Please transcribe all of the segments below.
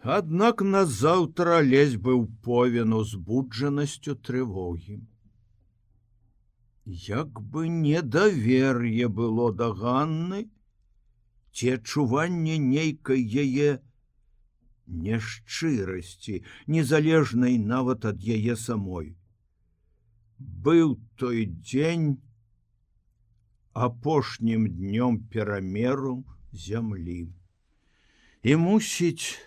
Аднак назаўтра Алесь быў повен узбуджанасцю трывогі. Як бы недавер'е было да Ганны, ці адчуванне нейкай яе няшчырасці, незалежнай нават ад яе самой. Быў той дзень апошнім днём перамеру зямлі. І мусіць,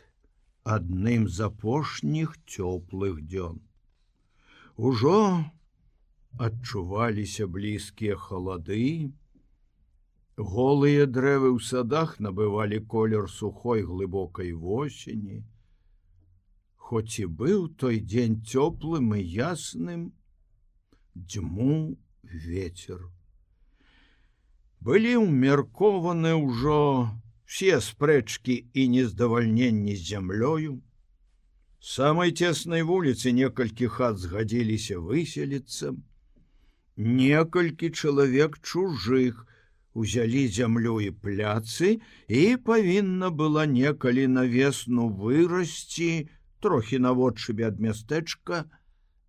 адным з апошніх цёплых дзён. Ужо адчуваліся блізкія халады, голыя дрэвы ў садах набывалі колер сухой глыбокай восені. Хоць і быў той дзень цёплым і ясным, дзьмуў вецер. Былі ўмеркованы ўжо все спрэчкі і нездавальненні з зямлёю. З самай цеснай вуліцы некалькі хат згадзіліся выселіцца. Некалькі чалавек чужых узялі зямлю і пляцы, і павінна была некалі на весну вырасці, трохі наводшыбе ад мястэчка,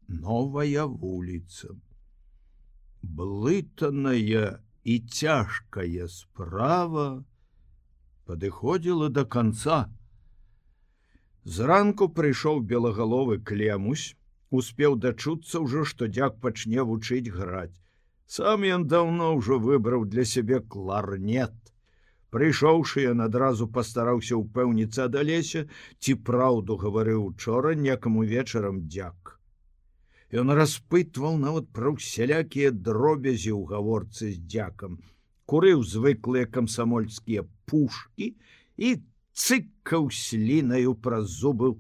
новая вуліца. Блытаная і цяжкая справа падыходзіла да канца. Зранку прыйшоў белагаловы Клемусь, успеў дачуцца ўжо, што дзяк пачне вучыць граць. Сам ён даўно ўжо выбраў для сябе кларнет. Прыйшоўшы, ён адразу пастараўся ўпэўніцца ад Алеся, ці праўду гаварыў учора некаму вечарам дзяк. Ён распытваў нават пра ўсялякія дробязі ў гаворцы з дзякам, курыў звыклыя камсамольскія пушкі і цыкаў слінаю праз зубы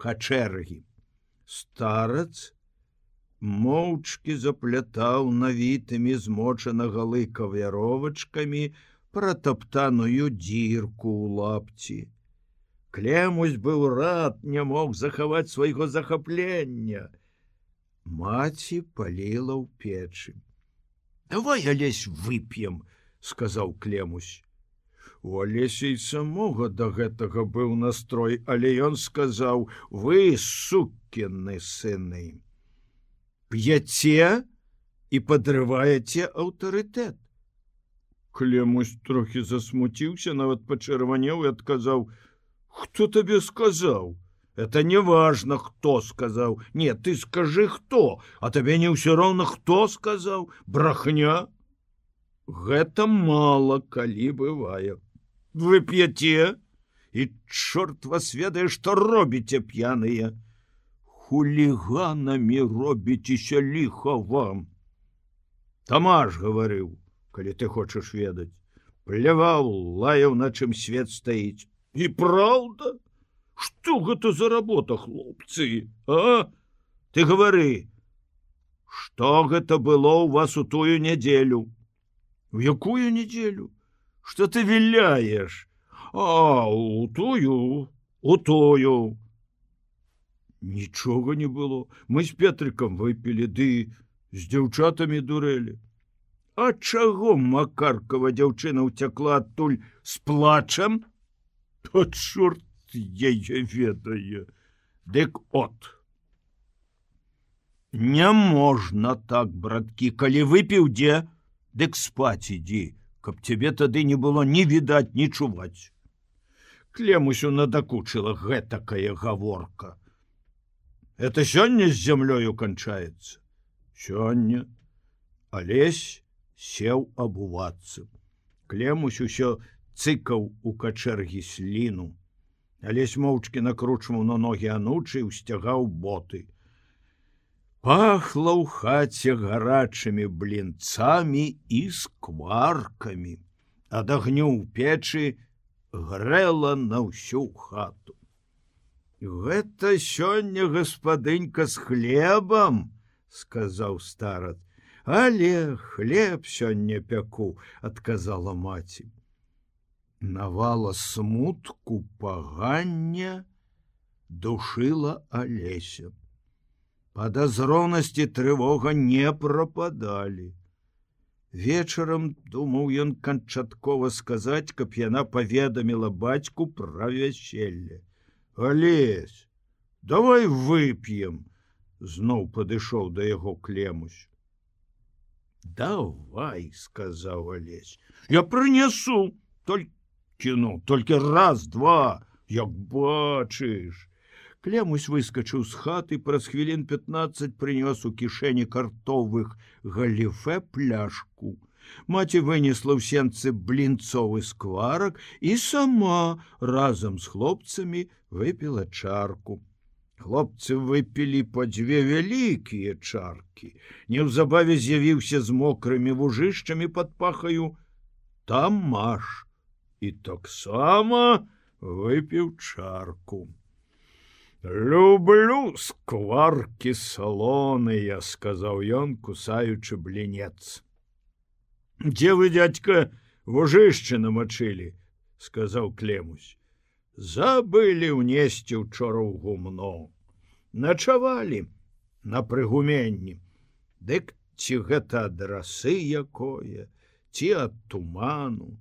качэргі. Старац моўчкі заплятаў навітымі змочанага лыка вяровачкамі пратаптаную дзірку ў лапці. Клемусь быў рад, не мог захаваць свайго захаплення. Маці паліла ў печы. «Давай, Алесь, вып'ем», — сказаў Клемусь. У Алеся і самога да гэтага быў настрой, але ён сказаў: «Вы, сукіны сыны, п'яце і падрываеце аўтарытэт». Клемусь трохі засмуціўся, нават пачырванеў і адказаў: «Хто табе сказаў? Это не важно, хто сказаў. Не, ты скажы, хто, а табе не ўсё роўна, хто сказаў. Брахня. Гэта мала, калі бывае. Вы п'яце, і чорт вас ведае, што робіце п'яныя. Хуліганамі робіцеся, ліха вам. Тамаш гаварыў, калі ты хочаш ведаць. Пляваў, лаяў, на чым свет стаіць. І праўда? Што гэта за работа, хлопцы, а? Ты гавары, што гэта было ў вас у тую нядзелю? У якую нядзелю? Што ты віляеш? А, у тую. Нічога не было. Мы з Петрыкам выпілі, ды з дзяўчатамі дурэлі. А чаго Макаркава дзяўчына ўцякла адтуль з плачам? То чорт яе ведае. Дык от. Не можна так, браткі, калі выпіў дзе, дык спаць ідзі, каб цябе тады не было ні відаць, ні чуваць. Клемусю надакучыла гэтакая гаворка. Это сёння з зямлёю канчаецца? Сёння. Алесь сеў абувацца. Клемусь усё цыкаў у качэргі сліну. Алесь моўчкі накручваў на ногі анучы і ўсцягаў боты. Пахла ў хаце гарачымі блінцамі і скваркамі. Ад агню ў печы грэла на ўсю хату. Гэта сёння гаспадынька з хлебам, сказаў старац. Але хлеб сёння пяку, адказала маці. Навала смутку, пагання душыла Алеся. Падазронасці трывога не прападалі. Вечарам думаў ён канчаткова сказаць, каб яна паведаміла бацьку пра вяселле. Алесь, давай вып'ем, зноў падышоў да яго Клемусь. Давай, сказаў Алесь, я прынясу, толькі раз, два, як бачыш. Клемусь выскачыў з хаты, праз хвілін 15 прынёс у кішэні картовых галіфе пляшку. Маці вынесла ў сенцы блінцовы скварак і сама разам з хлопцамі выпіла чарку. Хлопцы выпілі па 2 вялікія чаркі. Неўзабаве з'явіўся з мокрымі вужышчамі пад пахаю Тамаш і таксама выпіў чарку. Люблю скваркі салоныя, сказаў ён, кусаючы блінец. Дзе вы, дядька, вужышчы намачылі, сказаў Клемусь. Забылі ўнесці учора ў гумно. Начавалі на прыгуменні. Дык ці гэта ад расы якое, ці ад туману.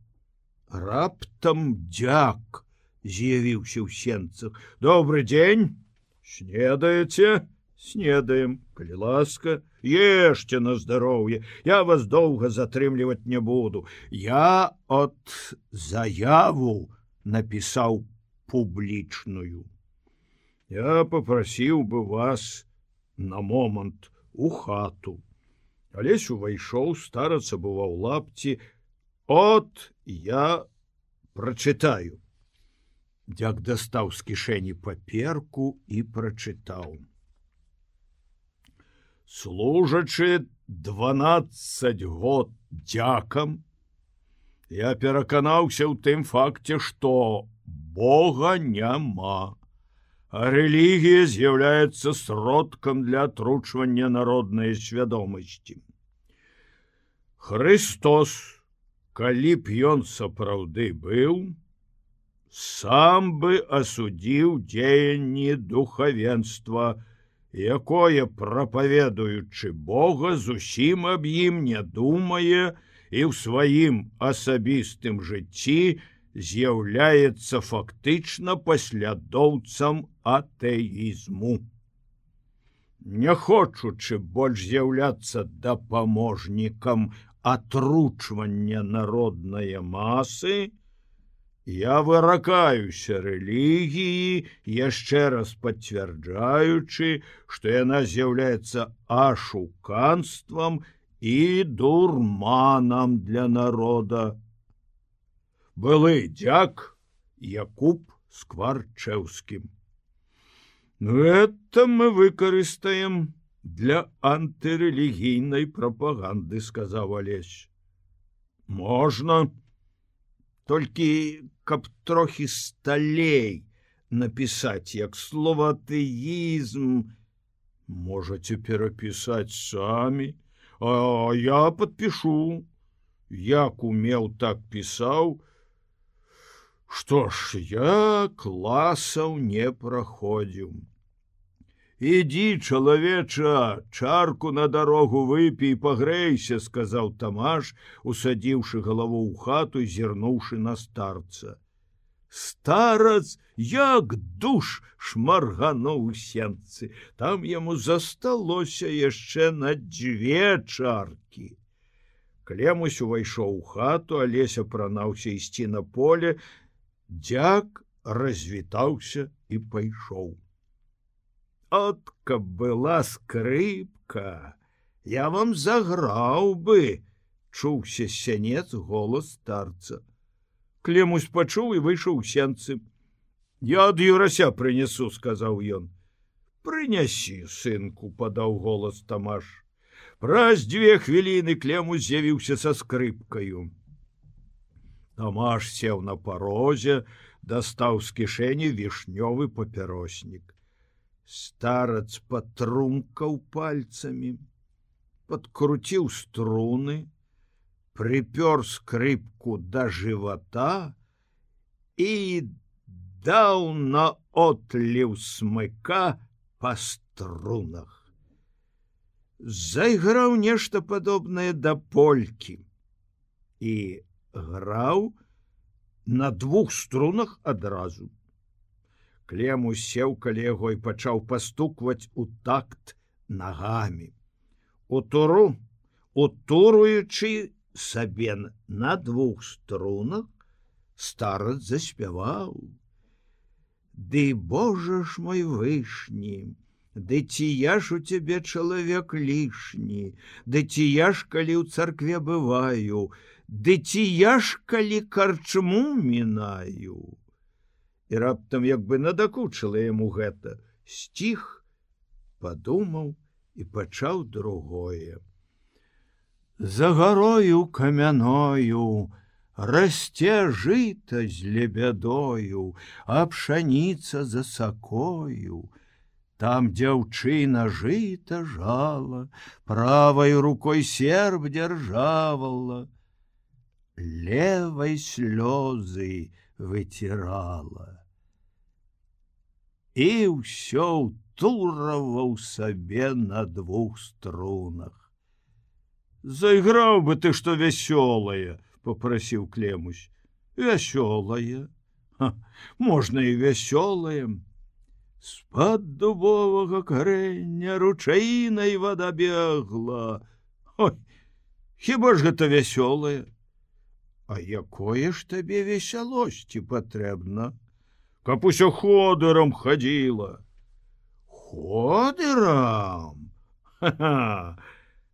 Раптам дзяк з'явіўся ў сенцах. Добры дзень, снедаеце? Снедаем, калі ласка, ешце на здароўе, я вас доўга затрымліваць не буду. Я от заяву напісаў публічную. Я попрасіў бы вас на момант у хату. Алесь увайшоў, стараца быва ў лапці. От я прачытаю. Дзяк дастаў з кішэні паперку і прачытаў. Служачы 12 год дзякам, я пераканаўся ў тым факце, што Бога няма, а рэлігія з'яўляецца сродкам для атручвання народнай свядомасці. Христос, калі б ён сапраўды быў, сам бы асудзіў дзеянні духавенства, якое, прапаведуючы Бога, зусім аб ім не думае і ў сваім асабістым жыцці з'яўляецца фактычна паслядоўцам атэізму. Не хочучы больш з'яўляцца дапаможнікам атручвання народнае масы, я выракаюся рэлігіі, яшчэ раз пацвярджаючы, што яна з'яўляецца ашуканствам і дурманам для народа. Былы дзяк Якуб Скварчэўскім. Гэта мы выкарыстаем для антырэлігійнай прапаганды, сказаў Алесь. Можна, толькі каб трохі сталей напісаць, як слова атэізм. Можаце перапісаць самі, а я падпішу. Як умеў, так пісаў. Што ж, я класаў не праходзіў. Ідзі, чалавеча, чарку на дарогу выпі і пагрэйся, сказаў Тамаш, усадзіўшы галаву ў хату і зірнуўшы на старца. Старац, як душ, шмаргануў у сенцы. Там яму засталося яшчэ на 2 чаркі. Клемусь увайшоў у хату, Алесь апранаўся ісці на поле. Дзяк развітаўся і пайшоў. От каб была скрыпка, я вам заграў бы, чуўся з сянец голас старца. Клемусь пачуў і выйшаў у сенцы. Я ад Юрася прынясу, сказаў ён. Прынясі, сынку, падаў голас Тамаш. Праз 2 хвіліны Клемусь з'явіўся са скрыпкаю. Тамаш сеў на парозе, дастаў з кішэні вішнёвы папяроснік. Старац патрумкаў пальцамі, падкруціў струны, прыпёр скрыпку да жывата і даў на отліў смыка па струнах. Зайграў нешта падобнае да полькі і граў на 2 струнах адразу. Клемусь сеў каля яго і пачаў пастукваць у такт нагамі. Утуруючы сабе на 2 струнах, старац заспяваў: «Ды Боже ж мой вышні, ды ці я ж у цябе чалавек лішні, ды ці я ж калі ў царкве бываю, ды ці я ж калі карчму мінаю». І раптам як бы надакучыла яму гэта, сціх, падумаў і пачаў другое. За гарою камяною расце жыта з лебядою, а пшаніца за сакою. Там дзяўчына жыта жала, правай рукой серп дзяржавала, левай слёзы выцірала. І ўсё ўтураваў сабе на 2 струнах. «Зайграў бы ты што вясёлае», — попрасіў Клемусь. «Вясёлае? Можна і вясёлае. З-пад дубовага карэння ручаінай вада бегла. Ой, хіба ж гэта вясёлае? А якое ж табе весялосці патрэбна? Каб усё ходырам хадзіла». «Ходырам? Ха-ха!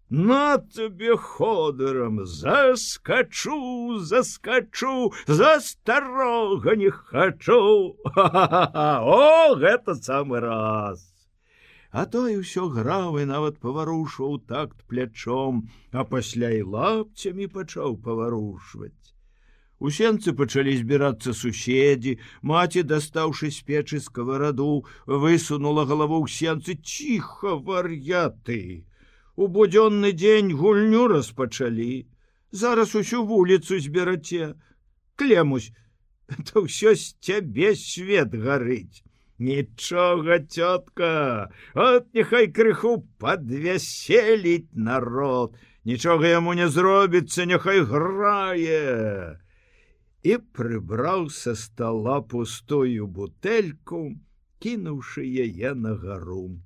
На тебе ходырам, заскачу, за старога не хачу. О, гэта самы раз». А той усё граў і нават паварушваў такт плячом, а пасля і лапцямі пачаў паварушваць. У сенцы пачалі збірацца суседзі, маці, дастаўшы з печы скавараду, высунула галаву ў сенцы. «Ціха, вар'яты! У будзённы дзень гульню распачалі. Зараз усю вуліцу збераце. Клемусь, то ўсё з цябе свет гарыць». «Нічога, цётка, от няхай крыху падвяселіць народ. Нічога яму не зробіцца, няхай грае». І прыбраў са стала пустую бутэльку, кінуўшы яе на гару.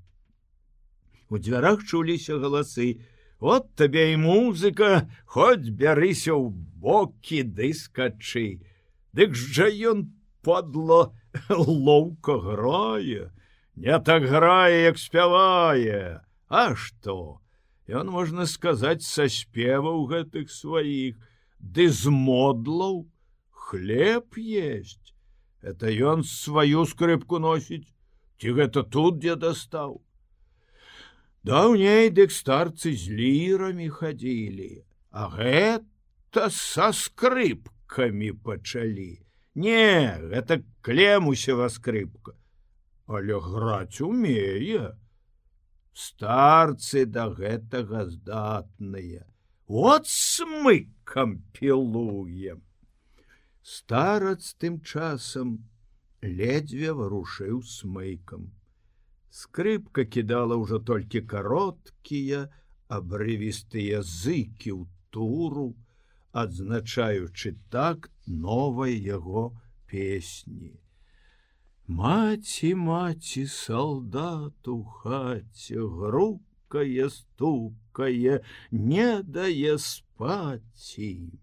У дзвярах чуліся галасы: «От табе і музыка, хоць бярыся ў бокі ды скачы. Дык жа ён, падла, лоўка грае, не так грае, як спявае. А што? Ён, можна сказаць, са спеваў гэтых сваіх, ды з модлаў хлеб есть. Это ён сваю скрыпку носіць, ці гэта тут дзе дастаў? Даўней дык старцы з лірамі хадзілі, а гэта са скрыпкамі пачалі. Не, гэта Клемусева скрыпка, але граць умее. Старцы да гэтага здатныя. От смыкам пілуем». Старац тым часам ледзьве варушыў смыкам. Скрыпка кідала ўжо толькі кароткія, абрывістыя зыкі ў туру, адзначаючы такт новай яго песні. «Маці, маці, салдат у хаце, грукае, стукае, не дае спаці».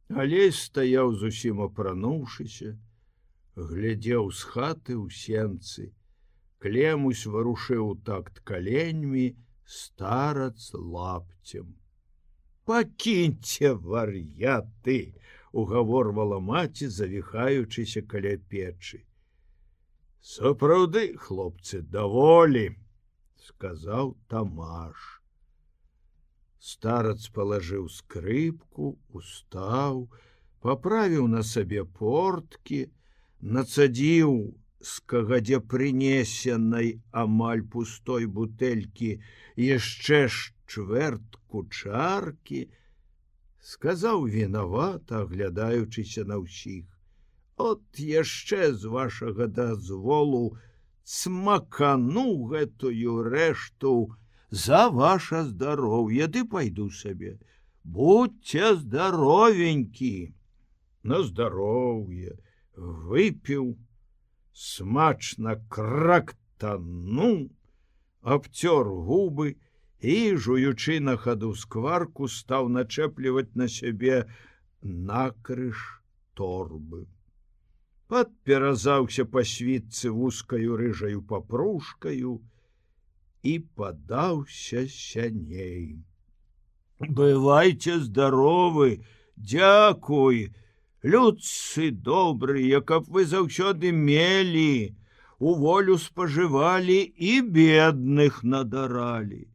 Алесь стаяў зусім апрануўшыся, глядзеў з хаты ў сенцы. Клемусь варушыў такт каленьмі, старац лапцем. «Пакіньце, вар'яты!» — угаворвала маці, завіхаючыся каля печы. «Сапраўды, хлопцы, даволі!» — сказаў Тамаш. Старац палажыў скрыпку, устаў, паправіў на сабе порткі, нацадзіў з кагадзе прынесенай амаль пустой бутэлькі яшчэ чвэртку чаркі, сказаў вінавата, аглядаючыся на ўсіх: «От яшчэ з вашага дазволу смакану гэтую рэшту за ваше здароўе, ды пайду сабе. Будьце здаровенькі». На здароўе выпіў, смачна крактануў, абцёр губы і, жуючы на хаду скварку, стаў начэпліваць на сябе накрыж торбы. Падперазаўся па світцы вузкаю рыжаю папружкаю і падаўся сяней. Бывайце здаровы, дзякуй, людцы добрыя, каб вы заўсёды мелі, у волю спажывалі і бедных надаралі,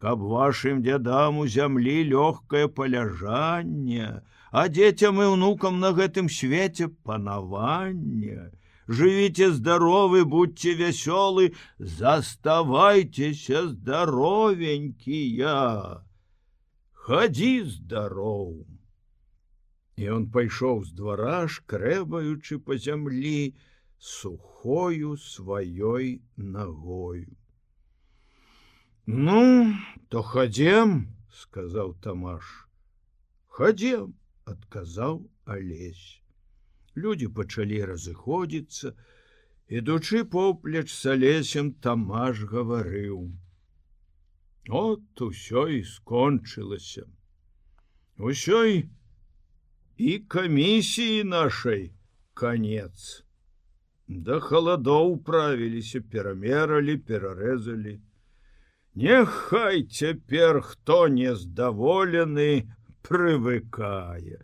каб вашым дзядам у зямлі лёгкае паляжанне, а дзецям і ўнукам на гэтым свеце панаванне. Жывіце здаровы, будьце вясёлы, заставайцеся здаровенькія. Хадзі здароў. І он пайшоў з двара, шкрэбаючы па зямлі сухою сваёй нагою. Ну, то хадзем, сказаў Тамаш. Хадзем, адказаў Алесь. Людзі пачалі разыходзіцца, ідучы поплеч з Алесем, Тамаш гаварыў: от усё і скончылася. Усёй і камісіі нашай канец. Да халадоў правіліся, перамералі, перарэзалі. Няхай цяпер хто нездаволены прывыкае.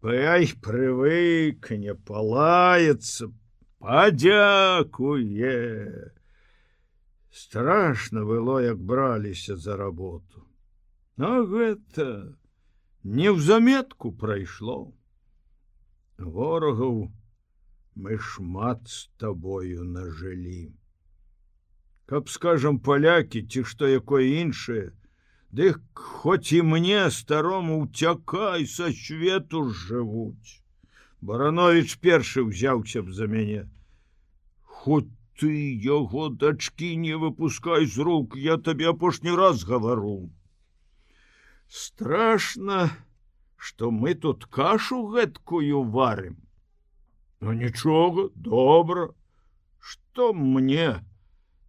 Прывыкне, палаецца, падзякуе. Страшна было, як браліся за работу. А гэта неўзаметку прайшло. Ворагаў мы шмат з табою нажылі. Каб, скажам, палякі ці што якое іншае, дык хоць і мне, старому, уцякай, са свету жывуць. Барановіч першы ўзяўся б за мяне. Хоць ты яго дачкі не выпускай з рук, я табе апошні раз гавару. Страшна, што мы тут кашу гэткую варым. Ну нічога, добра. Што мне?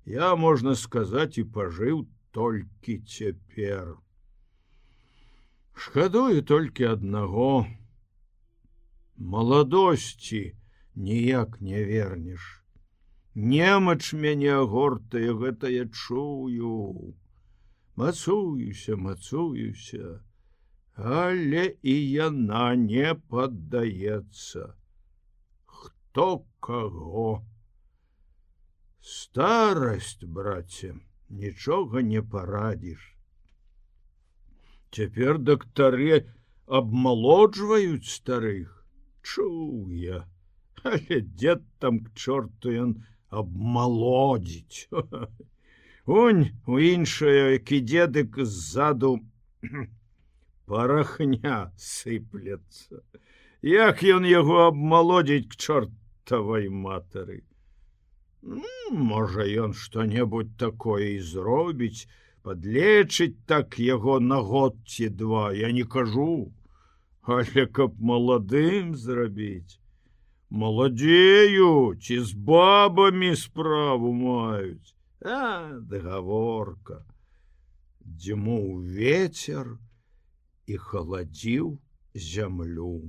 Я, можна сказаць, і пажыў толькі цяпер. Шкадую толькі аднаго. Маладосці ніяк не вернеш. Немач мяне агортае, гэта я чую. Мацуюся, але і яна не паддаецца. Хто каго? Старасць, браце, нічога не парадзіш. Цяпер дактары абмалоджваюць старых. Чуў я, але дзед там к чорту ён абмалодзіць. Унь, у іншае, які дзедык ззаду парахня сыплецца. Як ён яго абмалодзіць к чортавай матары? Можа, ён што-небудзь такое і зробіць, падлечыць так яго на год ці два, я не кажу. Але каб маладым зрабіць, маладзеюць і з бабамі справу маюць. А, дагаворка. Дзьмуў вецер і халадзіў зямлю.